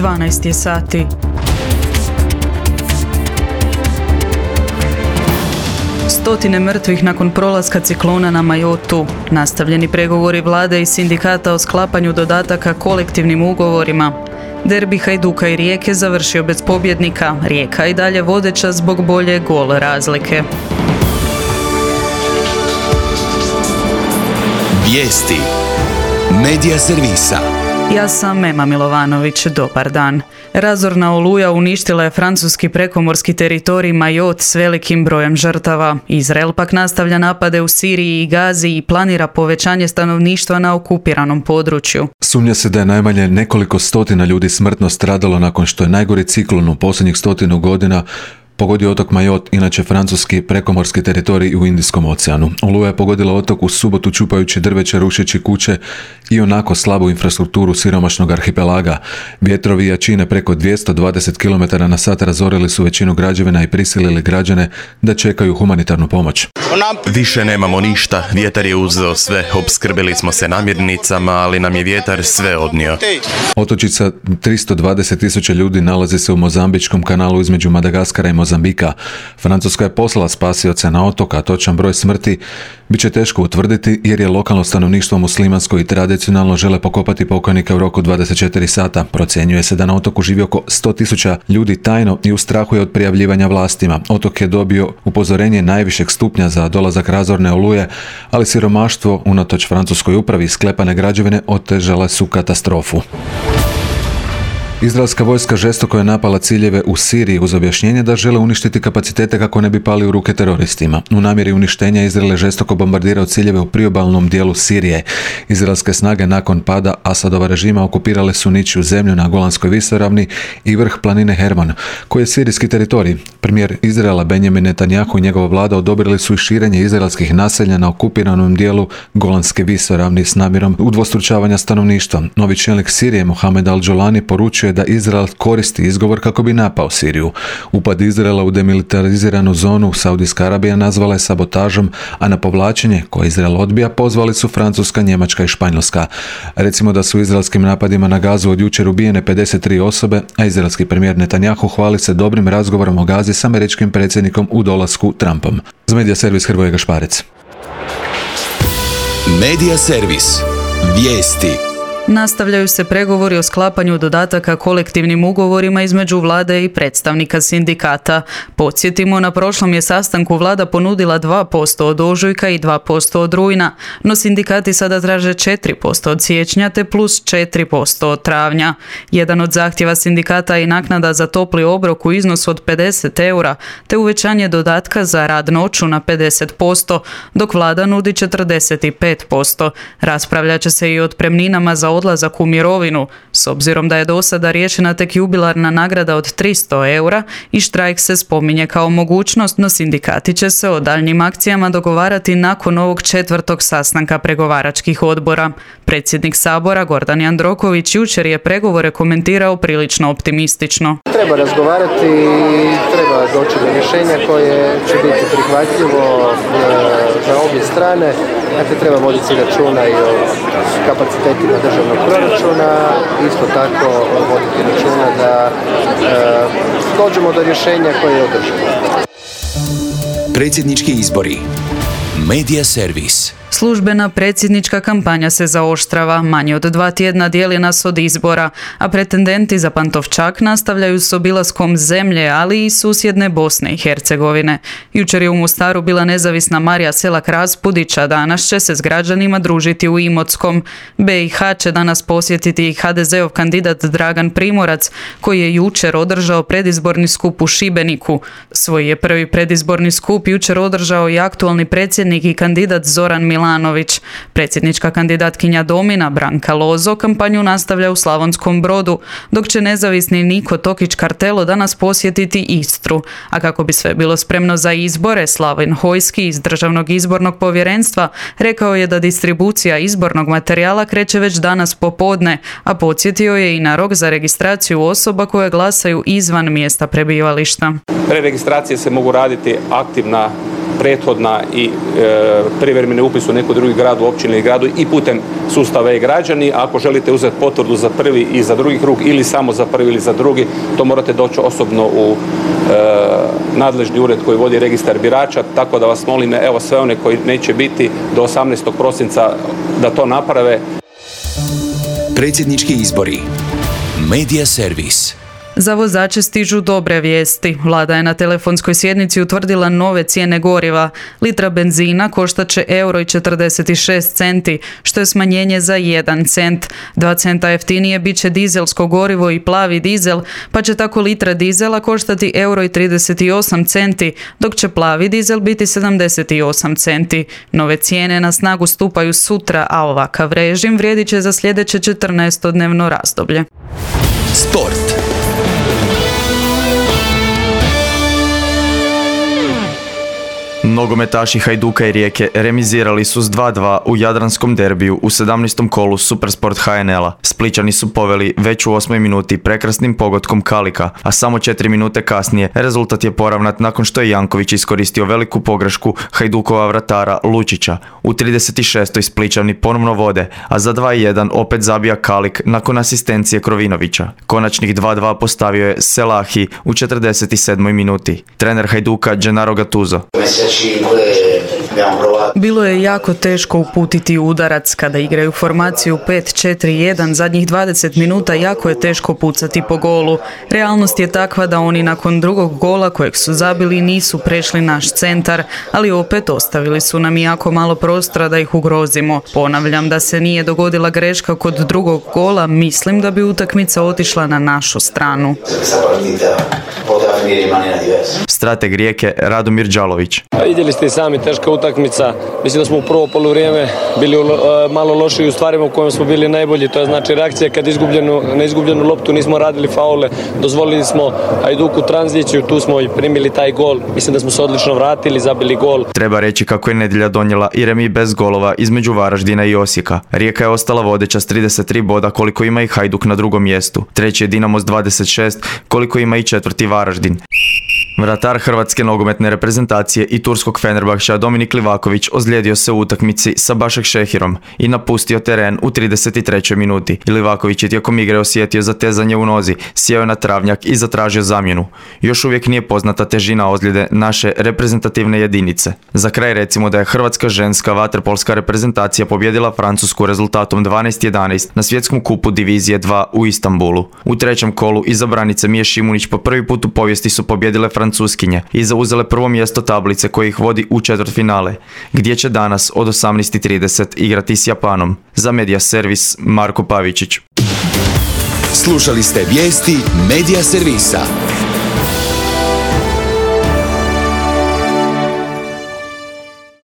12 je sati. Stotine mrtvih nakon prolaska ciklona na Mayotu. Nastavljeni pregovori vlade i sindikata o sklapanju dodataka kolektivnim ugovorima. Derbi Hajduka i Rijeke završio bez pobjednika. Rijeka i dalje vodeća zbog bolje gol razlike. Vijesti Medija servisa. Ja sam Ema Milovanović, dobar dan. Razorna oluja uništila je francuski prekomorski teritorij Mayotte s velikim brojem žrtava. Izrael pak nastavlja napade u Siriji i Gazi i planira povećanje stanovništva na okupiranom području. Sumnja se da je najmanje nekoliko stotina ljudi smrtno stradalo nakon što je najgori ciklon u posljednjih 100 godina pogodio otok Mayotte, inače francuski prekomorski teritorij u Indijskom oceanu. Oluja je pogodila otok u subotu čupajući drveće, rušeći kuće i onako slabu infrastrukturu siromašnog arhipelaga. Vjetrovi jačine preko 220 km/h razorili su većinu građevina i prisilili građane da čekaju humanitarnu pomoć. Više nemamo ništa, vjetar je uzeo sve, opskrbili smo se namirnicama, ali nam je vjetar sve odnio. Otočica 320.000 ljudi nalazi se u Mozambičkom kanalu između Madagaskara i Mozambika. Francuska je poslala spasioce na otok, a točan broj smrti bit će teško utvrditi jer je lokalno stanovništvo muslimansko i tradicionalno žele pokopati pokojnika u roku 24 sata. Procjenjuje se da na otoku živi oko 100.000 ljudi tajno i u strahu je od prijavljivanja vlastima. Otok je dobio upozorenje najvišeg stupnja za dolazak razorne oluje, ali siromaštvo unatoč francuskoj upravi sklepane građevine otežale su katastrofu. Izraelska vojska žestoko je napala ciljeve u Siriji uz objašnjenje da žele uništiti kapacitete kako ne bi pali u ruke teroristima. U namjeri uništenja Izrael je žestoko bombardirao ciljeve u priobalnom dijelu Sirije. Izraelske snage nakon pada Asadova režima okupirale su ničiju zemlju na Golanskoj visoravni i vrh planine Hermon, koji je sirijski teritorij. Premijer Izraela Benjamin Netanjahu i njegova vlada odobrili su i širenje izraelskih naselja na okupiranom dijelu Golanske visoravni s namjerom udvostručavanja stanovništva. Novi čelnik Sirije Mohamed Al-Jolani poručuje da Izrael koristi izgovor kako bi napao Siriju. Upad Izraela u demilitariziranu zonu Saudijska Arabija nazvala je sabotažom, a na povlačenje koje Izrael odbija pozvali su Francuska, Njemačka i Španjolska. Recimo da su izraelskim napadima na Gazu od jučer ubijene 53 osobe, a izraelski premijer Netanjahu hvali se dobrim razgovorom o Gazi s američkim predsjednikom u dolasku Trumpom. Za Medija servis Hrvoje Gašparec. Medija servis. Vijesti. Nastavljaju se pregovori o sklapanju dodataka kolektivnim ugovorima između vlade i predstavnika sindikata. Podsjetimo, na prošlom je sastanku vlada ponudila 2% od ožujka i 2% od rujna, no sindikati sada traže 4% od siječnja te plus 4% od travnja. Jedan od zahtjeva sindikata je i naknada za topli obrok u iznosu od 50 eura, te uvećanje dodatka za rad noću na 50%, dok vlada nudi 45%. Raspravljat će se i o otpremninama za odlazak u mirovinu, s obzirom da je do sada riješena tek jubilarna nagrada od 300 eura i štrajk se spominje kao mogućnost, no sindikati će se o daljnjim akcijama dogovarati nakon ovog 4. sastanka pregovaračkih odbora. Predsjednik Sabora Gordan Jandroković jučer je pregovore komentirao prilično optimistično. Treba razgovarati i treba doći do rješenja koje će biti prihvatljivo za obje strane. Dakle, treba voditi računa i o kapacitetima državnog proračuna, isto tako voditi računa da dođemo do rješenja koje je održivo. Predsjednički izbori. Medija servis. Službena predsjednička kampanja se zaoštrava, manje od 2 tjedna dijeli nas od izbora, a pretendenti za Pantovčak nastavljaju s obilaskom zemlje, ali i susjedne Bosne i Hercegovine. Jučer je u Mostaru bila nezavisna Marija Selak-Raspudić, a danas će se s građanima družiti u Imotskom. BiH će danas posjetiti i HDZ-ov kandidat Dragan Primorac, koji je jučer održao predizborni skup u Šibeniku. Svoj je prvi predizborni skup jučer održao i aktualni predsjednik i kandidat Zoran Milanović. Predsjednička kandidatkinja Domina Branka Lozo kampanju nastavlja u Slavonskom Brodu, dok će nezavisni Niko Tokić-Kartelo danas posjetiti Istru. A kako bi sve bilo spremno za izbore, Slaven Hojski iz Državnog izbornog povjerenstva rekao je da distribucija izbornog materijala kreće već danas popodne, a podsjetio je i na rok za registraciju osoba koje glasaju izvan mjesta prebivališta. Preregistracije se mogu raditi aktivna prethodna i privremeni upis u neku drugi grad, u općini ili gradu i putem sustava e-građani. Ako želite uzeti potvrdu za prvi i za drugi krug ili samo za prvi ili za drugi, to morate doći osobno u nadležni ured koji vodi registar birača, tako da vas molim, evo sve one koji neće biti do 18. prosinca da to naprave. Predsjednički izbori. Medija servis. Za vozače stižu dobre vijesti. Vlada je na telefonskoj sjednici utvrdila nove cijene goriva. Litra benzina koštat će €1,46, što je smanjenje za 1 cent. 2 centa jeftinije bit će dizelsko gorivo i plavi dizel, pa će tako litra dizela koštati €1,38, dok će plavi dizel biti 78 centi. Nove cijene na snagu stupaju sutra, a ovakav režim vrijedit će za sljedeće 14-dnevno razdoblje. Sport. Nogometaši Hajduka i Rijeke remizirali su s 2:2 u jadranskom derbiju u 17. kolu Supersport HNL-a. Splićani su poveli već u 8. minuti prekrasnim pogodkom Kalika, a samo 4 minute kasnije rezultat je poravnat nakon što je Janković iskoristio veliku pogrešku Hajdukova vratara Lučića. U 36. Splićani ponovno vode, a za 2:1 opet zabija Kalik nakon asistencije Krovinovića. Konačnih 2:2 postavio je Selahi u 47. minuti. Trener Hajduka Gennaro Gattuso. Bilo je jako teško uputiti udarac. Kada igraju formaciju 5-4-1, zadnjih 20 minuta jako je teško pucati po golu. Realnost je takva da oni nakon drugog gola kojeg su zabili nisu prešli naš centar, ali opet ostavili su nam jako malo prostora da ih ugrozimo. Ponavljam, da se nije dogodila greška kod drugog gola, mislim da bi utakmica otišla na našu stranu. Strateg Rijeke Radomir Đalović. Vidjeli ste i sami, teška utakmica. Mislim da smo u prvo poluvrijeme bili malo lošiji u stvarima u kojima smo bili najbolji. To je znači reakcija kad na izgubljenu loptu nismo radili faule. Dozvolili smo Hajduku tranziciju, tu smo i primili taj gol. Mislim da smo se odlično vratili, zabili gol. Treba reći kako je nedjelja donijela i remi bez golova između Varaždina i Osijeka. Rijeka je ostala vodeća s 33 boda koliko ima i Hajduk na drugom mjestu. Treći je Dinamo s 26 koliko ima i četvrti Varaždin. Vratar hrvatske nogometne reprezentacije i turskog Fenerbahča Dominik Livaković ozlijedio se u utakmici sa Başakşehirom i napustio teren u 33. minuti. Livaković je tijekom igre osjetio zatezanje u nozi, sjeo je na travnjak i zatražio zamjenu. Još uvijek nije poznata težina ozljede naše reprezentativne jedinice. Za kraj recimo da je hrvatska ženska vaterpolska reprezentacija pobjedila Francusku rezultatom 12:11 na svjetskom kupu divizije 2 u Istanbulu. U trećem kolu iza branice Mije Šimunić po prvi put u povijesti su pobjedile Francuskinje i zauzele prvo mjesto tablice koje ih vodi u četvrtfinale, gdje će danas od 18:30 igrati s Japanom. Za Medija servis Marko Pavičić. Slušali ste vijesti Medija servisa.